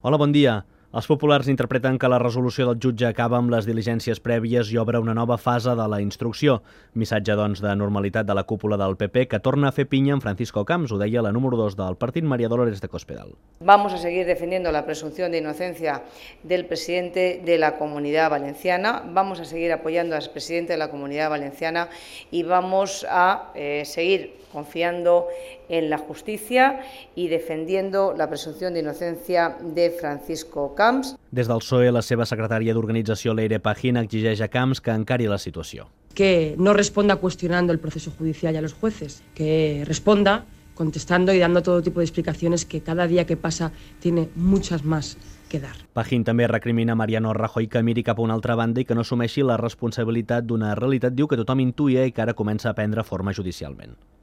Hola, bon dia. Els populars interpreten que la resolució del jutge acaba amb les diligències prèvies i obre una nova fase de la instrucció. Missatge, doncs, de normalitat de la cúpula del PP que torna a fer pinya amb Francisco Camps, ho deia la número 2 del partit, María Dolores de Cospedal. Vamos a seguir defendiendo la presunción de inocencia del presidente de la Comunidad Valenciana, vamos a seguir apoyando al presidente de la Comunidad Valenciana y vamos a seguir confiando en la justicia y defendiendo la presunción de inocencia de Francisco Camps. Des del PSOE, la seva secretària d'organització, Leire Pajín, exigeix a Camps que encari la situació. Que no responda cuestionando el proceso judicial y a los jueces, que responda contestando y dando todo tipo de explicaciones que cada día que pasa tiene muchas más que dar. Pajín també recrimina a Mariano Rajoy que miri cap a una altra banda i que no assumeixi la responsabilitat d'una realitat, diu, que tothom intuïa i que ara comença a prendre forma judicialment.